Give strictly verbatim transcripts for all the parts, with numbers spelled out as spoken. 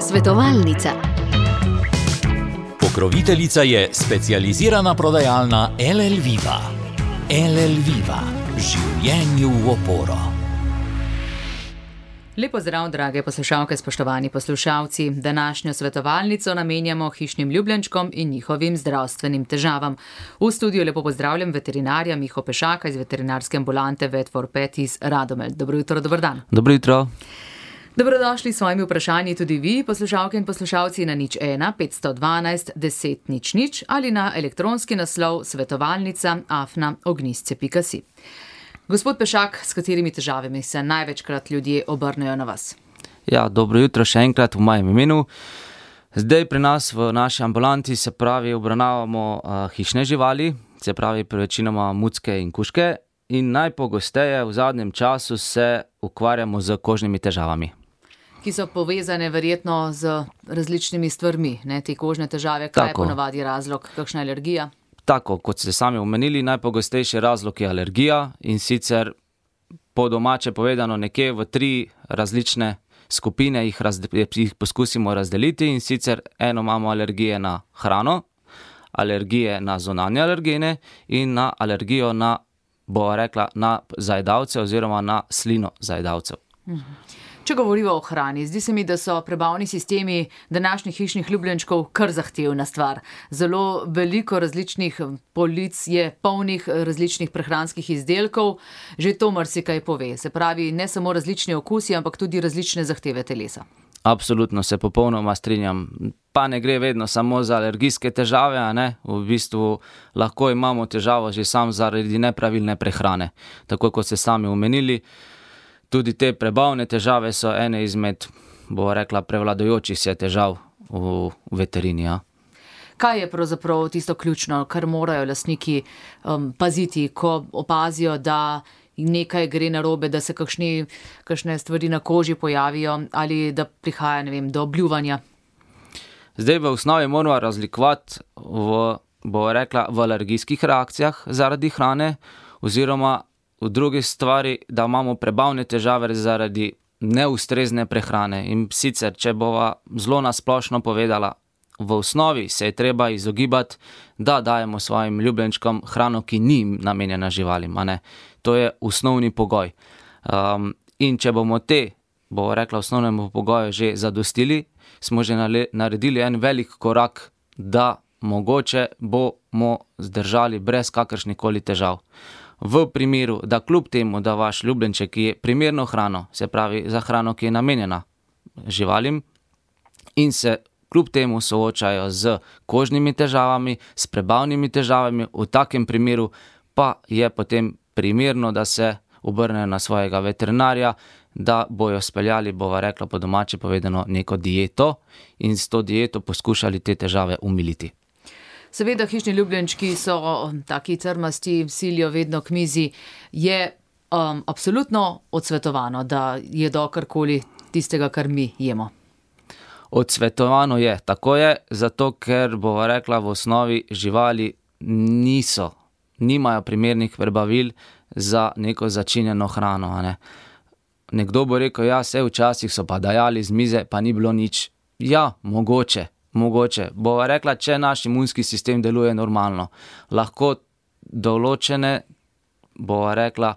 Svetovalnica. Pokroviteljica je specializirana prodajalna L L Viva. L L Viva. Življenju v oporo. Lepo zdrav, drage poslušalke, spoštovani poslušalci. Današnjo svetovalnico namenjamo hišnim ljubljenčkom in njihovim zdravstvenim težavam. V studiu lepo pozdravljam veterinarja Miho Pešaka iz veterinarske ambulante Vet for Pet iz Radomelj. Dobro jutro, dober dan. Dobro jutro. Dobrodošli s svojimi vprašanji tudi vi, poslušalke in poslušalci, na nič ena petsto dvanajst deset nič nič ali na elektronski naslov svetovalnica afna ognjisce pika si. Gospod Pešak, s katerimi težavami se največkrat ljudje obrnejo na vas? Ja, dobro jutro še enkrat v mojem imenu. Zdaj pri nas v naši ambulanti se pravi obravnavamo uh, hišne živali, se pravi večinoma mucke in kužke, in najpogosteje v zadnjem času se ukvarjamo z kožnimi težavami. Ki so povezane verjetno z različnimi stvarmi, ne, te kožne težave, kaj je ponavadi razlog, kakšna alergija? Tako, kot ste sami omenili, najpogostejši razlog je alergija, in sicer po domače povedano nekje v tri različne skupine jih, razde, jih poskusimo razdeliti, in sicer eno imamo alergije na hrano, alergije na zunanje alergene in na alergijo na, bo rekla, na zajedavce oziroma na slino zajedavcev. Mhm. Če govorimo o hrani, zdi se mi, da so prebavni sistemi današnjih hišnih ljubljenčkov kar zahtevna stvar. Zelo veliko različnih polic je polnih različnih prehranskih izdelkov, že to marsikaj pove. Se pravi, ne samo različni okusi, ampak tudi različne zahteve telesa. Absolutno se popolnoma strinjam. Pa ne gre vedno samo za alergijske težave, a ne? V bistvu lahko imamo težavo že sam zaradi nepravilne prehrane. Tako kot ste sami omenili, tudi te prebavne težave so ene izmed, bo rekla, prevladujočih se težav v veterini. Ja. Kaj je pravzaprav tisto ključno, kar morajo lastniki um, paziti, ko opazijo, da nekaj gre narobe, da se kakšni, kakšne stvari na koži pojavijo ali da prihaja, ne vem, do obljuvanja? Zdaj v osnovi moramo razlikovati v, bo rekla, v alergijskih reakcijah zaradi hrane oziroma v drugi stvari, da imamo prebavne težave zaradi neustrezne prehrane. In sicer, če bova zelo nasplošno povedala, v osnovi se je treba izogibati, da dajemo svojim ljubljenčkom hrano, ki ni namenjena živalim. A ne? To je osnovni pogoj. Um, in če bomo te, bo rekla, osnovnemu pogoju že zadostili, smo že naredili en velik korak, da mogoče bomo zdržali brez kakršnikoli težav. V primeru, da kljub temu, da vaš ljubljenček je primerno hrano, se pravi za hrano, ki je namenjena živalim, in se kljub temu soočajo z kožnimi težavami, s prebavnimi težavami, v takem primeru pa je potem primerno, da se obrnejo na svojega veterinarja, da bojo speljali, bova rekla po domače povedano, neko dieto in s to dieto poskušali te težave umiliti. Seveda, hišni ljubljenčki so taki crmasti, silijo vedno k mizi. Je um, absolutno odsvetovano, da jedo karkoli tistega, kar mi jemo? Odsvetovano je, tako je, zato ker, bova rekla, v osnovi živali niso, nimajo primernih prebavil za neko začinjeno hrano. A ne? Nekdo bo rekel, ja, vse včasih so pa dajali z mize, pa ni bilo nič. Ja, mogoče. Mogoče. Bova rekla, če naš imunski sistem deluje normalno, lahko določene, bova rekla,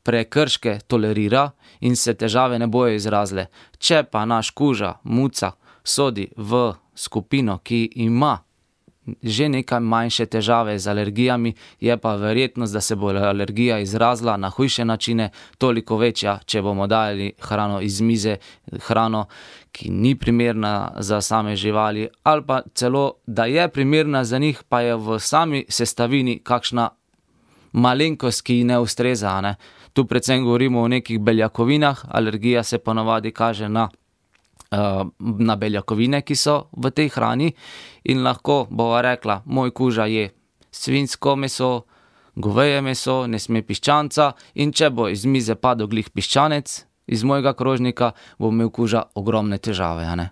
prekrške tolerira in se težave ne bojo izrazile. Če pa naš kuža, muca, sodi v skupino, ki ima že nekaj manjše težave z alergijami, je pa verjetnost, da se bo alergija izrazila na hujše načine toliko večja, če bomo dali hrano iz mize, hrano, ki ni primerna za same živali, ali pa celo, da je primerna za njih, pa je v sami sestavini kakšna malenkost, ki ne ustreza. Ne? Tu predvsem govorimo o nekih beljakovinah, alergija se ponavadi kaže na na beljakovine, ki so v tej hrani, in lahko bova rekla, moj kuža je svinjsko meso, goveje meso, ne sme piščanca, in če bo iz mize padel glih piščanec iz mojega krožnika, bo imel kuža ogromne težave. A ne?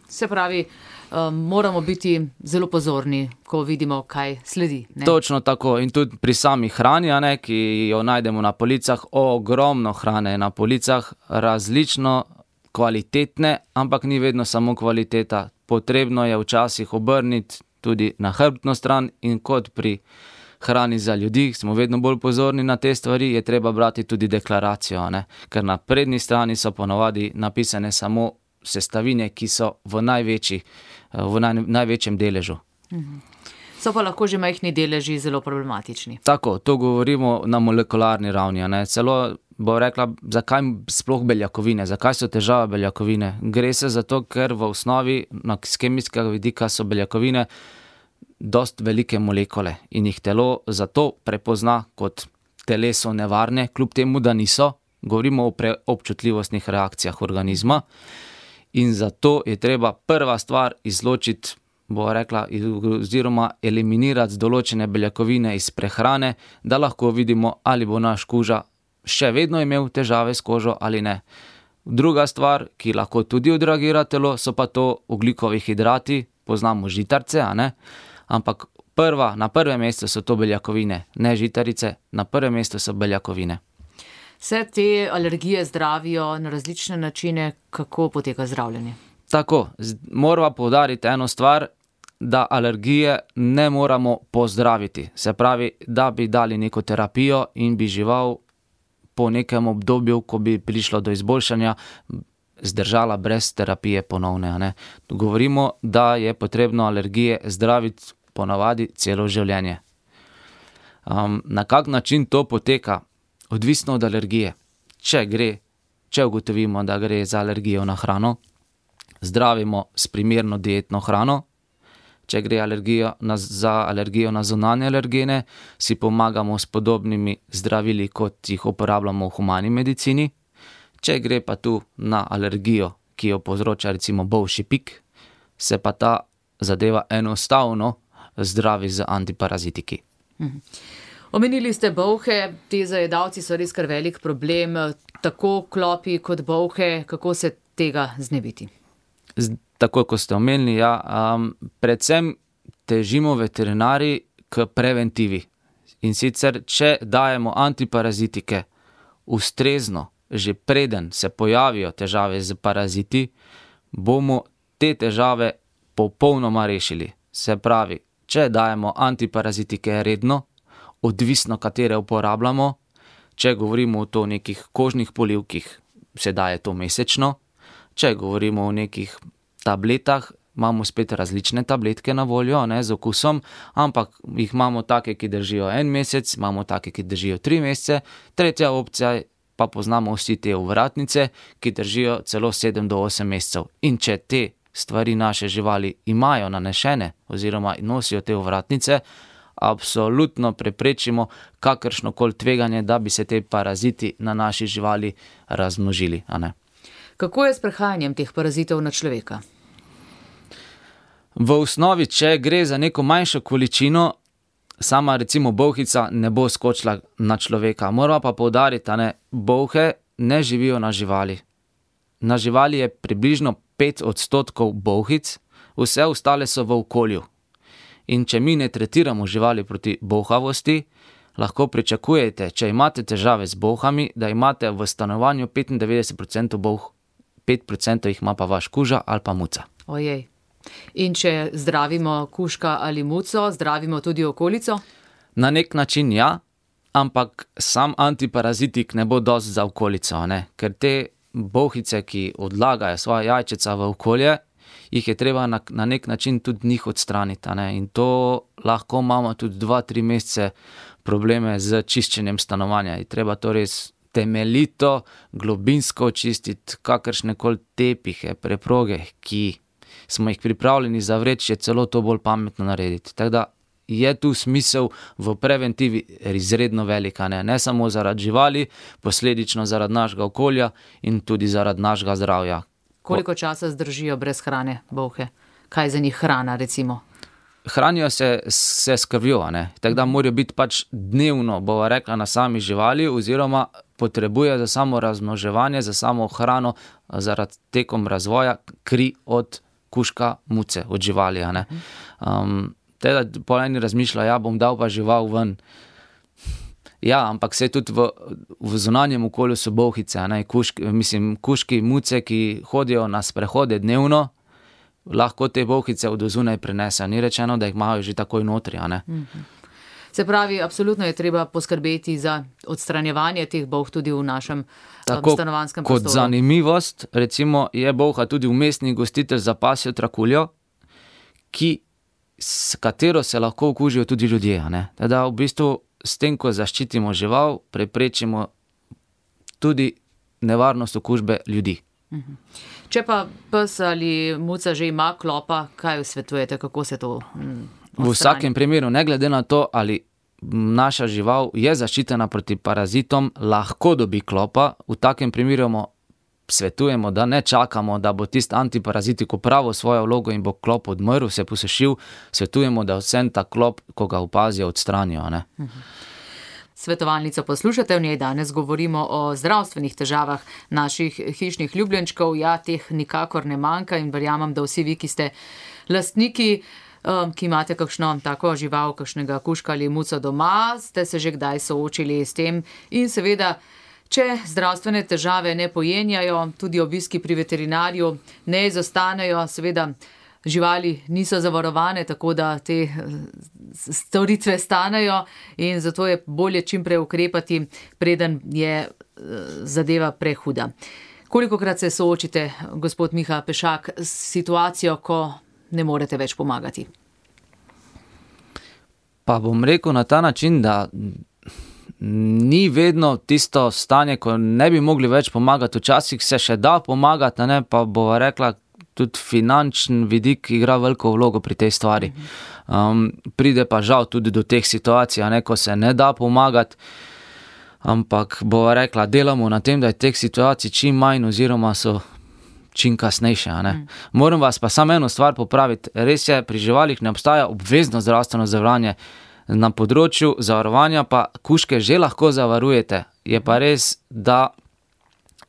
Se pravi, um, moramo biti zelo pozorni, ko vidimo, kaj sledi. Ne? Točno tako. In tudi pri sami hrani, a ne, ki jo najdemo na policah, ogromno hrane na policah, različno kvalitetne, ampak ni vedno samo kvaliteta. Potrebno je včasih obrniti tudi na hrbtno stran in kot pri hrani za ljudi, smo vedno bolj pozorni na te stvari, je treba brati tudi deklaracijo, ne? Ker na prednji strani so ponovadi napisane samo sestavine, ki so v, največji, v naj, največjem deležu. Mhm. So pa lahko že majhni deleži zelo problematični. Tako, to govorimo na molekularni ravni, ne? Celo bo rekla, zakaj sploh beljakovine, zakaj so težave beljakovine. Gre se za to, ker v osnovi na kemijskega vidika so beljakovine dost velike molekule in jih telo zato prepozna kot telesu nevarne, kljub temu, da niso. Govorimo o preobčutljivostnih reakcijah organizma in zato je treba prva stvar izločiti, bo rekla, oziroma eliminirati določene beljakovine iz prehrane, da lahko vidimo, ali bo naš koža še vedno imel težave s kožo ali ne. Druga stvar, ki lahko tudi odreagira telo, so pa to ogljikovi hidrati, poznamo žitarice, a ne? Ampak prva, na prvem mestu so to beljakovine, ne žitarice, na prvem mestu so beljakovine. Vse te alergije zdravijo na različne načine, kako poteka zdravljenje? Tako, moramo poudariti eno stvar, da alergije ne moramo pozdraviti. Se pravi, da bi dali neko terapijo in bi žival po nekem obdobju, ko bi prišlo do izboljšanja, zdržala brez terapije ponovne, ne. Govorimo, da je potrebno alergije zdraviti ponavadi celo življenje. Um, na kak način to poteka? Odvisno od alergije. Če gre, če ugotovimo, da gre za alergijo na hrano, zdravimo s primerno dietno hrano. Če gre alergijo na, za alergijo na zunanje alergene, si pomagamo s podobnimi zdravili, kot jih uporabljamo v humani medicini. Če gre pa tu na alergijo, ki jo povzroča recimo bolšji pik, se pa ta zadeva enostavno zdravi z antiparazitiki. Mhm. Omenili ste bolhe, te zajedavci so res kar velik problem, tako klopi kot bolhe, kako se tega znebiti? Z, tako, kot ste omenili, ja, um, predvsem težimo veterinari k preventivi. In sicer, če dajemo antiparazitike ustrezno, že preden se pojavijo težave z paraziti, bomo te težave popolnoma rešili. Se pravi, če dajemo antiparazitike redno, odvisno katere uporabljamo, če govorimo o to nekih kožnih polivkih, se daje to mesečno, če govorimo o nekih tabletah, imamo spet različne tabletke na voljo, ne, z okusom, ampak jih imamo take, ki držijo en mesec, imamo take, ki držijo tri mesece, tretja opcija pa poznamo vsi te ovratnice, ki držijo celo sedem do osem mesecev. In če te stvari naše živali imajo nanešene oziroma nosijo te ovratnice, absolutno preprečimo kakršnokoli tveganje, da bi se te paraziti na naši živali razmnožili, a ne. Kako je s prehajanjem teh parazitov na človeka? V osnovi, če gre za neko manjšo količino, sama recimo bolhica ne bo skočila na človeka. Moramo pa poudariti, a ne, bolhe ne živijo na živali. Na živali je približno pet odstotkov bolhic, vse ostale so v okolju. In če mi ne tretiramo živali proti bolhavosti, lahko pričakujete, če imate težave z bolhami, da imate v stanovanju petindevetdeset procentov bolh, pet procentov jih ima pa vaš kuža ali pa muca. Ojej. In če zdravimo kužka ali muco, zdravimo tudi okolico? Na nek način ja, ampak sam antiparazitik ne bo dosti za okolico, ne? Ker te bolhice, ki odlagajo svoja jajčeca v okolje, jih je treba na, na nek način tudi njih odstraniti, a ne? In to lahko imamo tudi dva, tri mesece probleme z čiščenjem stanovanja. Je treba to res temeljito, globinsko očistiti, kakršnekoli tepihe, preproge, ki smo jih pripravljeni zavreči, je celo to bolj pametno narediti. Tako da je tu smisel v preventivi izredno velika, ne? Ne samo zaradi živali, posledično zaradi našega okolja in tudi zaradi našega zdravja. Koliko časa zdržijo brez hrane bolhe? Kaj je za njih hrana, recimo? Hranijo se, se s krvjo, ne? Tako da morajo biti pač dnevno, bova rekla, na sami živali oziroma potrebuje za samo razmnoževanje, za samo hrano, zaradi tekom razvoja kri od kužka, muce, od živali, a ne. Um, teda po eni razmišlja, ja, bom dal pa žival ven. Ja, ampak saj tudi v, v zunanjem okolju so bolhice, a ne, kuški, mislim, kužki, muce, ki hodijo na sprehode dnevno, lahko te bolhice od zunaj prinesejo. Ni rečeno, da jih imajo že takoj notri, a ne. Mhm. Se pravi, absolutno je treba poskrbeti za odstranjevanje teh bolh tudi v našem Tako, stanovanjskem kot prostoru. zanimivost, recimo, je bolha tudi vmesni gostitelj za pasjo trakuljo, ki, s katero se lahko okužijo tudi ljudje, a ne. Teda v bistvu s tem, ko zaščitimo žival, preprečimo tudi nevarnost okužbe ljudi. Mhm. Če pa pes ali muca že ima klopa, kaj svetujete, kako se to mm, V vsakem primeru, ne glede na to, ali naša žival je zaščitena proti parazitom, lahko dobi klopa. V takem primeru svetujemo, da ne čakamo, da bo tisti antiparazitik opravil svojo vlogo in bo klop odmrl, se posušil. Svetujemo, da vsem ta klop, ko ga opazijo, odstranijo, ne. Svetovalnico poslušate, v njej danes govorimo o zdravstvenih težavah naših hišnih ljubljenčkov. Ja, teh nikakor ne manjka in verjamem, da vsi vi, ki ste lastniki, ki imate kakšno tako žival, kakšnega kužka ali muco doma, ste se že kdaj soočili s tem in seveda, če zdravstvene težave ne pojenjajo, tudi obiski pri veterinarju ne izostanejo, seveda živali niso zavarovane, tako da te storitve stanejo in zato je bolje čim prej ukrepati, preden je zadeva prehuda. Kolikokrat se soočite, gospod Miha Pešak, s situacijo, ko ne morete več pomagati? Pa bom rekel na ta način, da ni vedno tisto stanje, ko ne bi mogli več pomagati. Včasih se še da pomagati, ne, pa bova rekla, tudi finančni vidik igra veliko vlogo pri tej stvari. Um, pride pa žal tudi do teh situacij, ne, ko se ne da pomagati, ampak bova rekla, delamo na tem, da je teh situacij čim manj oziroma so čim kasnejše, a ne. Mm. Moram vas pa samo eno stvar popraviti. Res je, pri živalih ne obstaja obvezno zdravstveno zavarovanje. Na področju zavarovanja pa kužke že lahko zavarujete. Je pa res, da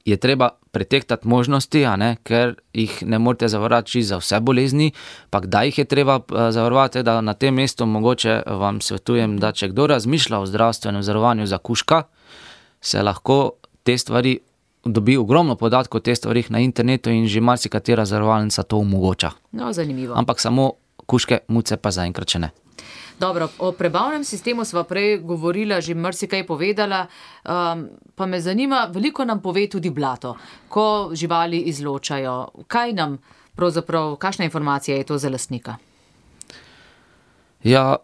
je treba pretehtati možnosti, a ne, ker jih ne morete zavarovati čisto za vse bolezni, pa kdaj jih je treba zavarovati, da na tem mestu mogoče vam svetujem, da če kdo razmišlja o zdravstvenem zavarovanju za kužka, se lahko te stvari dobi ogromno podatkov o teh stvarih na internetu in že marsikatera zavarovalnica to omogoča. No, zanimivo. Ampak samo kužke, muce pa zaenkrat še ne. Dobro, o prebavnem sistemu sva prej govorila, že marsikaj povedala, um, pa me zanima, veliko nam pove tudi blato, ko živali izločajo. Kaj nam pravzaprav, kakšna informacija je to za lastnika? Ja,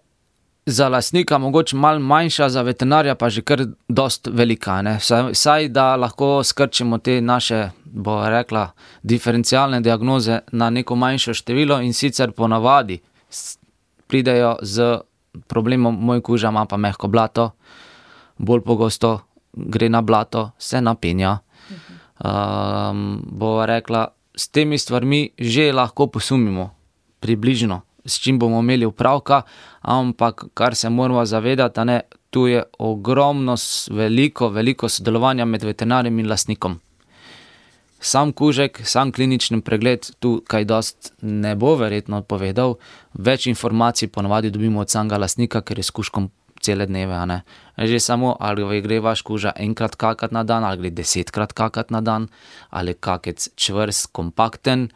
za lastnika mogoče malo manjša, za veterinarja pa že kar dost velika, ne. Saj, saj da lahko skrčimo te naše, bo rekla, diferencialne diagnoze na neko manjšo število in sicer ponavadi pridejo z problemom, moj kuža ima pa mehko blato, bolj pogosto gre na blato, se napenja. Um, bo rekla, s temi stvarmi že lahko posumimo približno, s čim bomo imeli upravka, ampak kar se moramo zavedati, ne, tu je ogromno, veliko, veliko sodelovanja med veterinarjem in lastnikom. Sam kužek, sam klinični pregled tu kaj dost ne bo verjetno povedal, več informacij ponavadi dobimo od samega lastnika, ker je s kužkom cele dneve, a ne. Že samo, ali gre vaš kuža enkrat kakati na dan, ali gre desetkrat kakati na dan, ali kakec čvrst, kompakten,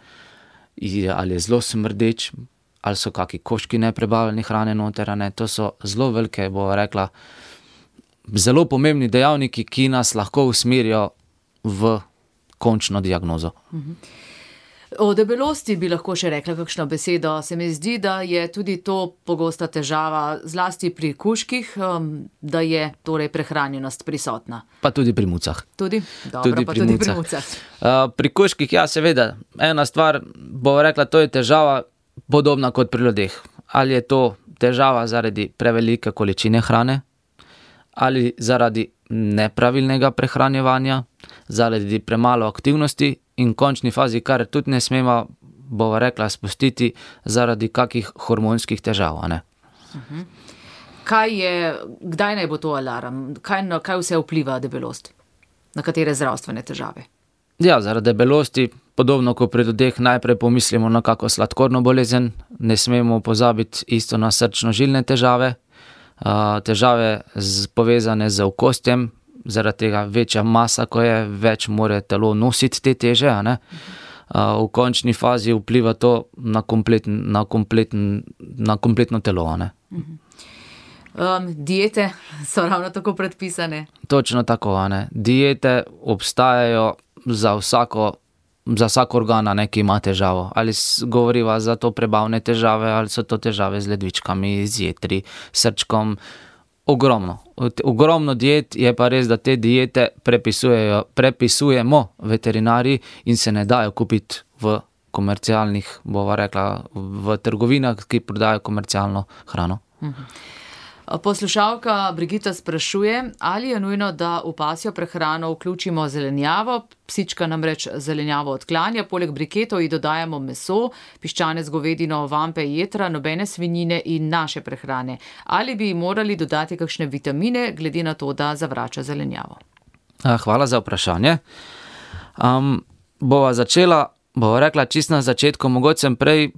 ali je zelo smrdeč, ali so kaki koški neprebavljene hrane noter, a ne. To so zelo velike, bo rekla, zelo pomembni dejavniki, ki nas lahko usmerijo v končno diagnozo. O debelosti bi lahko še rekla kakšno besedo. Se mi zdi, da je tudi to pogosta težava, zlasti pri kužkih, da je torej prehranjenost prisotna. Pa tudi pri mucah. Tudi? Dobro, tudi pa pri tudi mucah. pri mucah. Uh, pri kužkih, ja, seveda, ena stvar, bo rekla, to je težava podobna kot pri ljudeh. Ali je to težava zaradi prevelike količine hrane, ali zaradi nepravilnega prehranjevanja, zaradi premalo aktivnosti in v končni fazi, kar tudi ne smemo, bova rekla, spustiti zaradi kakih hormonskih težav, a ne. Uh-huh. Kaj je, kdaj naj bo to alarm? Kaj, kaj vse vpliva debelost? Na katere zdravstvene težave? Ja, zaradi debelosti, podobno kot pri ljudeh, najprej pomislimo na kako sladkorno bolezen, ne smemo pozabiti isto na srčno-žilne težave, težave z, povezane z okostjem, zaradi tega večja masa, ko je, več more telo nositi te teže, a ne. V končni fazi vpliva to na, kompleten, na, kompleten, na kompletno telo, a ne. Um, diete so ravno tako predpisane. Točno tako, a ne. Diete obstajajo za vsako, za vsak organ, ne, ki ima težavo. Ali govoriva za to prebavne težave, ali so to težave z ledvičkami, z jetri, srčkom. Ogromno. Ogromno diet, je pa res, da te diete prepisujejo, prepisujemo veterinarji in se ne dajo kupiti v komercialnih, bova rekla, v trgovinah, ki prodajo komercialno hrano. Mhm. Poslušalka Brigita sprašuje, ali je nujno, da v pasjo prehrano vključimo zelenjavo. Psička namreč zelenjavo odklanja, poleg briketov ji dodajamo meso, piščanec, govedino, vampe, jetra, nobene svinjine in naše prehrane. Ali bi morali dodati kakšne vitamine, glede na to, da zavrača zelenjavo? Hvala za vprašanje. Um, bova začela, bova rekla čisto na začetku, mogoče sem prej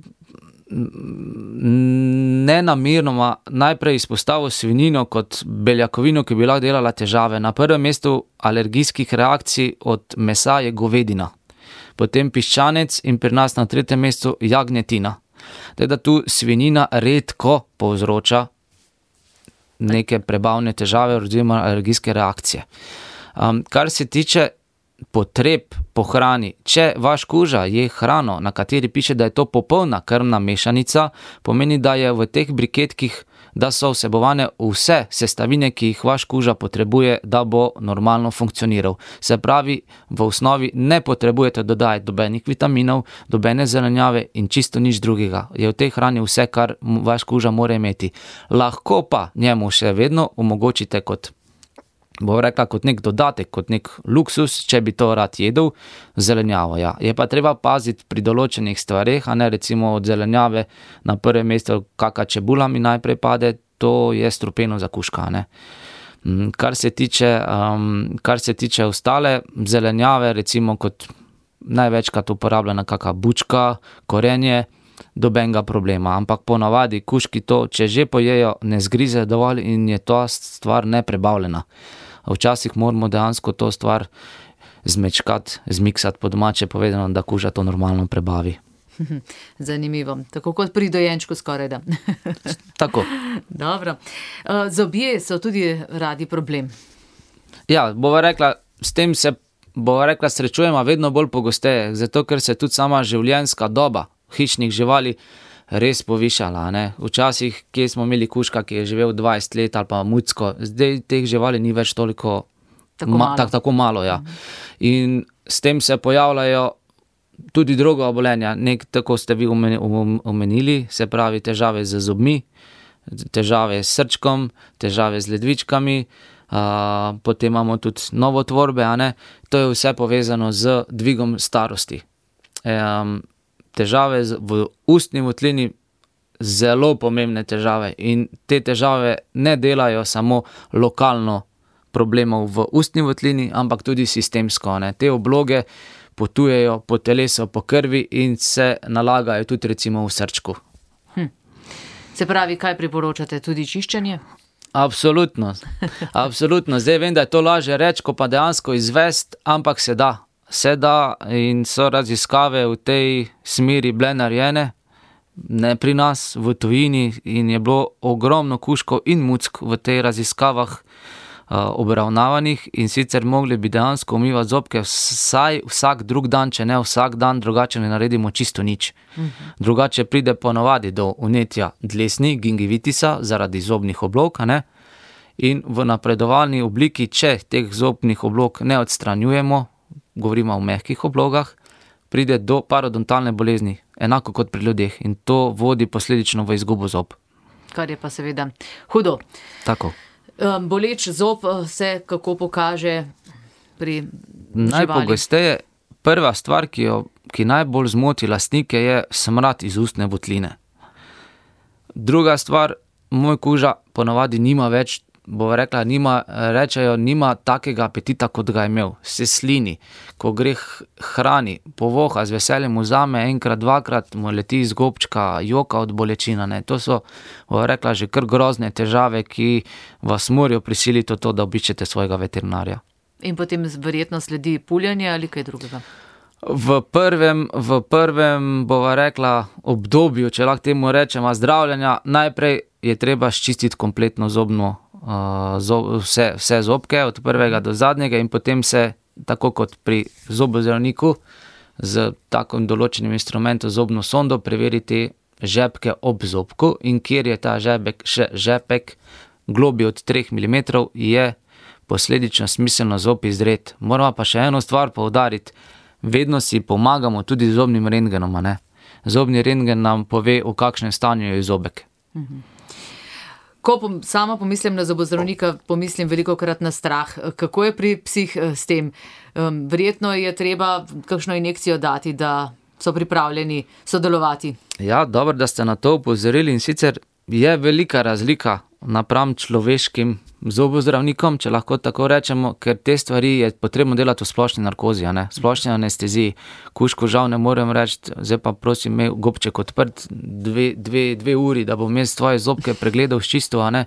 nenamirnoma najprej izpostavil svinjino kot beljakovino, ki bi lahko delala težave. Na prvem mestu alergijskih reakcij od mesa je govedina, potem piščanec in pri nas na tretjem mestu jagnjetina. Teda tu svinjina redko povzroča neke prebavne težave oziroma alergijske reakcije. Um, kar se tiče potreb po hrani, če vaš kuža je hrano, na kateri piše, da je to popolna krmna mešanica, pomeni, da je v teh briketkih, da so vsebovane vse sestavine, ki jih vaš kuža potrebuje, da bo normalno funkcioniral. Se pravi, v osnovi ne potrebujete dodajati dobenih vitaminov, dobene zelenjave in čisto nič drugega. Je v tej hrani vse, kar vaš kuža mora imeti. Lahko pa njemu še vedno omogočite kot bo rekla kot nek dodatek, kot nek luksus, če bi to rad jedel, zelenjavo, ja. Je pa treba paziti pri določenih stvareh, a ne recimo od zelenjave na prvem mestu kaka čebula mi najprej pade, to je strupeno za kužka, ne. Kar se tiče, um, kar se tiče ostale zelenjave, recimo kot največkrat uporabljena kaka bučka, korenje, dobenega problema, ampak ponavadi kužki to, če že pojejo, ne zgrize dovolj in je ta stvar neprebavljena. Včasih moramo dejansko to stvar zmečkati, zmiksati po domače povedano, da kuža to normalno prebavi. Zanimivo, tako kot pri dojenčku skoraj da. Tako. Dobro. Zobje so tudi radi problem. Ja, bova rekla, s tem se bova rekla srečujemo vedno bolj pogosteje, zato ker se tudi sama življenjska doba hišnih živali res povišala, ne. Včasih, kje smo imeli kužka, ki je živel dvajset let ali pa mucko, zdaj teh živali ni več toliko tako ma, malo. Tak, tako malo, ja. In s tem se pojavljajo tudi druga obolenja, nek, tako ste vi omenili, se pravi težave z zobmi, težave s srčkom, težave z ledvičkami, uh, potem imamo tudi novotvorbe, a ne. To je vse povezano z dvigom starosti. Um, težave v ustni votlini, zelo pomembne težave in te težave ne delajo samo lokalno problemov v ustni votlini, ampak tudi sistemsko, ne. Te obloge potujejo po telesu, po krvi in se nalagajo tudi recimo v srčku. Hm. Se pravi, kaj priporočate, tudi čiščenje? Absolutno, absolutno. Zdaj vem, da je to lažje reči, ko pa dejansko izvesti, ampak se da. Se da in so raziskave v tej smeri bile narejene, ne pri nas, v tujini, in je bilo ogromno kužkov in muck v tej raziskavah uh, obravnavanih in sicer mogli bi dejansko umivati zobke vsaj vsak drug dan, če ne vsak dan, drugače ne naredimo čisto nič. Mhm. Drugače pride ponovadi do vnetja dlesni, gingivitisa, zaradi zobnih oblog, a ne? In v napredovalni obliki, če teh zobnih oblog ne odstranjujemo, govorimo o mehkih oblogah, pride do parodontalne bolezni, enako kot pri ljudeh, in to vodi posledično v izgubo zob. Kar je pa seveda hudo. Tako. Boleč zob se kako pokaže pri živali? Najpogosteje, prva stvar, ki, jo, ki najbolj zmoti lastnike, je smrad iz ustne votline. Druga stvar, moj kuža ponavadi nima več bo rekla, nima, rečejo, nima takega apetita, kot ga je imel. Se slini, ko gre hrani, povoha, z veseljem vzame enkrat, dvakrat, mu leti iz gobčka, joka od bolečina. Ne. To so, bo rekla, že kar grozne težave, ki vas morajo prisiliti v to, da obiščete svojega veterinarja. In potem verjetno sledi puljenje ali kaj drugega? V prvem, v prvem, bova rekla, obdobju, če lahko temu rečemo, zdravljenja, najprej je treba ščistiti kompletno zobno, uh, zob, vse, vse zobke, od prvega do zadnjega, in potem se, tako kot pri zobozdravniku, z takim določenim instrumentom, zobno sondo, preveriti žepke ob zobku, in kjer je ta žepek, še, žepek globi od treh milimetrov, je posledično smiselno zob izdret. Moramo pa še eno stvar poudariti, vedno si pomagamo tudi z zobnim rentgenom, ne? Zobni rentgen nam pove, v kakšnem stanju je zobek. Mhm. Ko pom, sama pomislim na zobozdravnika, pomislim velikokrat na strah. Kako je pri psih s tem? Um, verjetno je treba kakšno injekcijo dati, da so pripravljeni sodelovati. Ja, dobro, da ste na to upozorili, in sicer je velika razlika napram človeškim zobozdravnikom, če lahko tako rečemo, ker te stvari je potrebno delati v splošni narkozi, ne? Splošni anesteziji. Kužku žal ne morem reči, zdaj pa prosim, imej gobček odprt dve, dve, dve uri, da bom jaz tvoje zobke pregledal s čisto, a ne?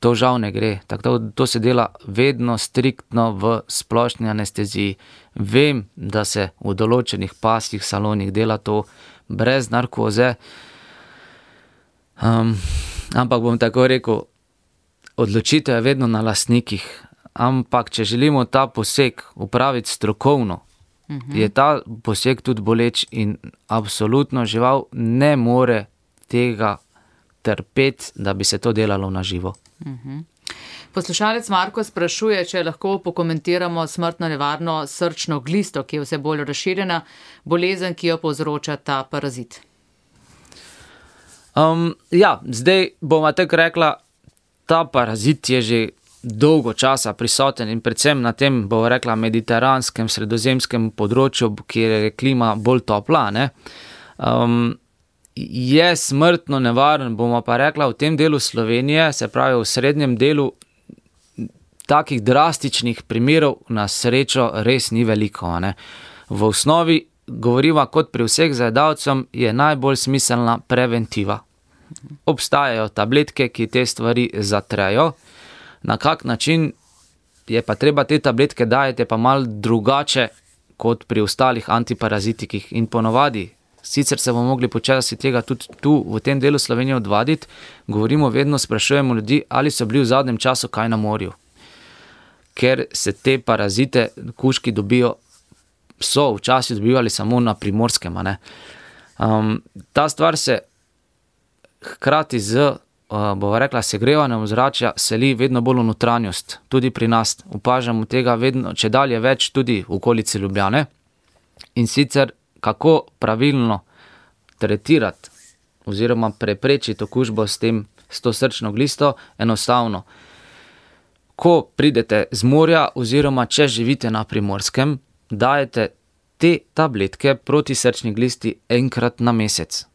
To žal ne gre. Tako to se dela vedno striktno v splošni anesteziji. Vem, da se v določenih pasjih salonih dela to brez narkoze, um, ampak bom tako rekel, odločitev je vedno na lastnikih, ampak če želimo ta poseg upraviti strokovno, uh-huh. je ta poseg tudi boleč in absolutno žival ne more tega trpeti, da bi se to delalo na živo. Uh-huh. Poslušalec Marko sprašuje, če lahko pokomentiramo smrtno nevarno srčno glisto, ki je vse bolj razširjena bolezen, ki jo povzroča ta parazit. Um, ja, zdaj bova tako rekla, ta parazit je že dolgo časa prisoten in predvsem na tem, bova rekla, mediteranskem, sredozemskem področju, kjer je klima bolj topla, ne. Um, je smrtno nevaren, bomo pa rekla, v tem delu Slovenije, se pravi v srednjem delu, takih drastičnih primerov na srečo res ni veliko, ne. V osnovi govoriva kot pri vseh zajedavcem, je najbolj smiselna preventiva. Obstajajo tabletke, ki te stvari zatrejo. Na kak način je pa treba te tabletke dajati, pa malo drugače kot pri ostalih antiparazitikih. In ponovadi, sicer se bomo mogli počasi tega tudi tu v tem delu Slovenije odvaditi, govorimo vedno, sprašujemo ljudi, ali so bili v zadnjem času kaj na morju. Ker se te parazite kužki dobijo, so včasih dobivali samo na Primorskem, ne. Um, ta stvar se hkrati z, uh, bova rekla, segrevanjem ozračja seli vedno bolj v notranjost. Tudi pri nas opažamo tega vedno, če dalje več tudi v okolici Ljubljane. In sicer, kako pravilno tretirati oziroma preprečiti okužbo s tem, s to srčno glisto, enostavno. Ko pridete z morja oziroma če živite na Primorskem, dajete te tabletke proti srčni glisti enkrat na mesec.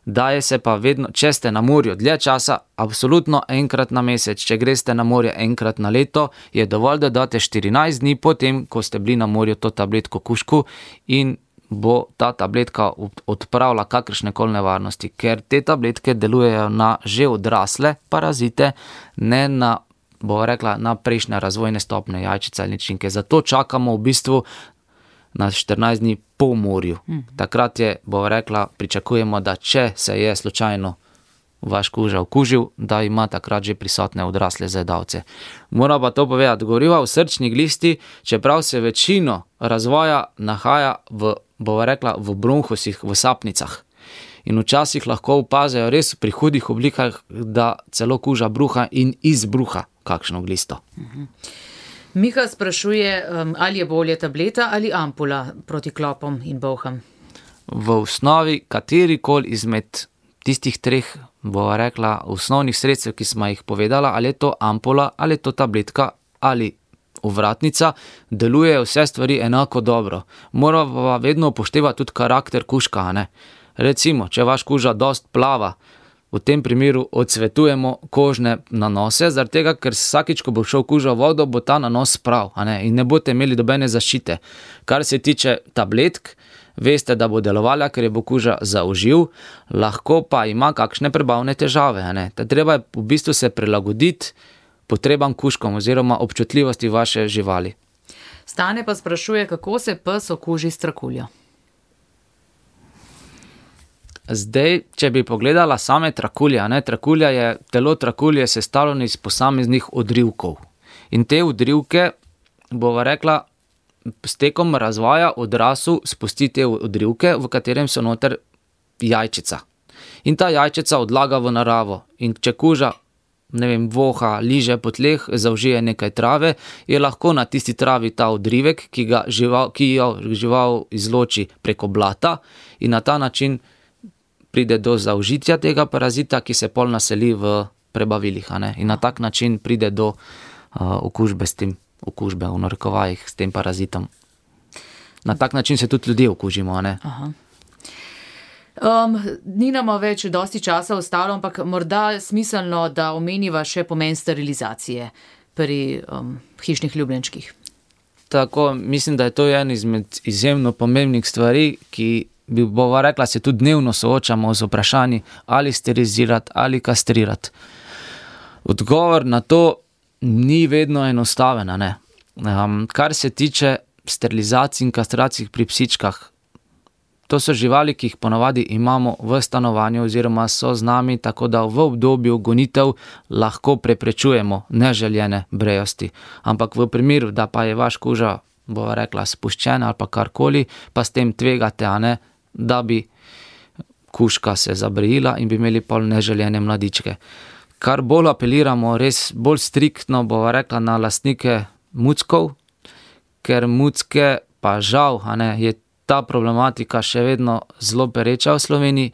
Daje se pa vedno, če ste na morju dlje časa, absolutno enkrat na mesec. Če greste na morje enkrat na leto, je dovolj, da date štirinajst dni potem, ko ste bili na morju, to tabletko kužku, in bo ta tabletka odpravila kakršnekoli nevarnosti, ker te tabletke delujejo na že odrasle parazite, ne na, bo rekla, na prejšnje razvojne stopnje jajčice ali ličinke. Zato čakamo v bistvu na štirinajst dni po morju. Takrat je, bo rekla, pričakujemo, da če se je slučajno vaš kuža okužil, da ima takrat že prisotne odrasle zajedavce. Moram pa to povedati, govoriva o srčni glisti, čeprav se večino razvoja nahaja v, bo rekla, v bronhosih, v sapnicah. In včasih lahko opazijo res pri hudih oblikah, da celo kuža bruha in izbruha kakšno glisto. Mhm. Miha sprašuje, ali je bolje tableta ali ampula proti klopom in bolham. V osnovi katerikoli izmed tistih treh, bova rekla, osnovnih sredstev, ki smo jih povedala, ali je to ampula, ali je to tabletka, ali ovratnica, delujejo vse stvari enako dobro. Moramo pa vedno upoštevati tudi karakter kužka, ne. Recimo, če vaš kuža dost plava, v tem primeru odsvetujemo kožne nanose, zaradi tega, ker vsakič, ko bo šel kuža v vodo, bo ta nanos prav, a ne, in ne boste imeli dobene zaščite. Kar se tiče tabletk, veste, da bo delovala, ker je bo kuža zaužil, lahko pa ima kakšne prebavne težave, a ne. Ta treba je v bistvu se prilagoditi potrebam kužkom oziroma občutljivosti vaše živali. Stane pa sprašuje, kako se pes okuži s trakuljo. Zdaj, če bi pogledala same trakulje, ne, trakulja je, telo trakulje sestavljeno iz posameznih odrivkov. In te odrivke, bova rekla, s tekom razvoja odrasel spusti te odrivke, v katerem so noter jajčica. In ta jajčica odlaga v naravo. In če kuža, ne vem, voha, liže po tleh, zaužije nekaj trave, je lahko na tisti travi ta odrivek, ki ga žival, ki jo žival izloči preko blata in na ta način pride do zaužitja tega parazita, ki se pol naseli v prebavilih, a ne? In na tak način pride do uh, okužbe s tem, okužbe v narekovajih s tem parazitom. Na tak način se tudi ljudje okužimo, a ne? Aha. Um, ni nama več dosti časa ostalo, ampak morda smiselno, da omeniva še pomen sterilizacije pri um, hišnih ljubljenčkih. Tako, mislim, da je to en izmed izjemno pomembnih stvari, ki bi bova rekla, se tudi dnevno soočamo z vprašanji, ali sterilizirati ali kastrirati. Odgovor na to ni vedno enostaven, a ne. Um, kar se tiče sterilizacij in kastracij pri psičkah, to so živali, ki jih ponavadi imamo v stanovanju oziroma so z nami, tako da v obdobju gonitev lahko preprečujemo neželjene brejosti. Ampak v primeru, da pa je vaš kuža, bova rekla, spuščen ali pa karkoli, pa s tem tvegate, a ne, da bi kužka se zabrejila in bi imeli pol neželjene mladičke. Kar bolj apeliramo, res bolj striktno, bova rekla, na lastnike muckov, ker mucke pa žal, a ne, je ta problematika še vedno zelo pereča v Sloveniji.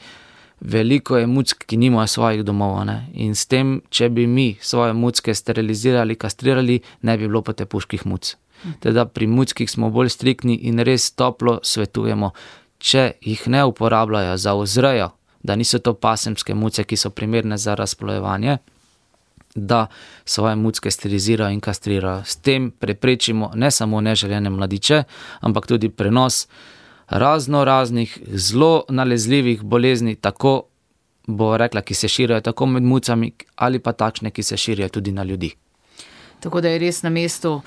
Veliko je muck, ki nimajo svojih domov, ne? In s tem, če bi mi svoje mucke sterilizirali, kastrirali, ne bi bilo potepuških muc. Teda pri muckih smo bolj striktni in res toplo svetujemo, če jih ne uporabljajo za vzrejo, da niso to pasemske muce, ki so primerne za razplojevanje, da svoje mucke sterilizirajo in kastrirajo. S tem preprečimo ne samo neželjene mladiče, ampak tudi prenos razno raznih zelo nalezljivih bolezni, tako bo rekla, ki se širijo tako med mucami ali pa takšne, ki se širijo tudi na ljudi. Tako da je res na mestu,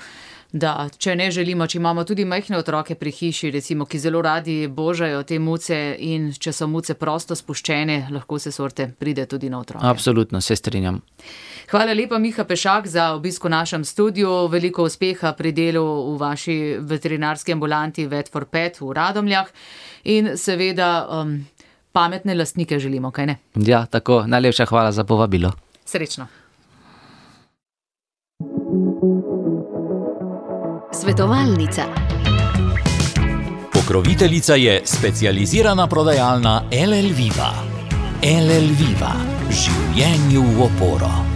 da če ne želimo, če imamo tudi majhne otroke pri hiši, recimo, ki zelo radi božajo te muce in če so muce prosto spuščene, lahko se sorte pride tudi na otroke. Absolutno, se strinjam. Hvala lepa, Miha Pešak, za obisk v našem studiu. Veliko uspeha pri delu v vaši veterinarski ambulanti Vet for Pet v Radomljah in seveda um, pametne lastnike želimo, kaj ne? Ja, tako. Najlepša hvala za povabilo. Srečno. Svetovalnica. Pokroviteljica je specializirana prodajalna L L Viva. L L Viva. Življenju v oporo.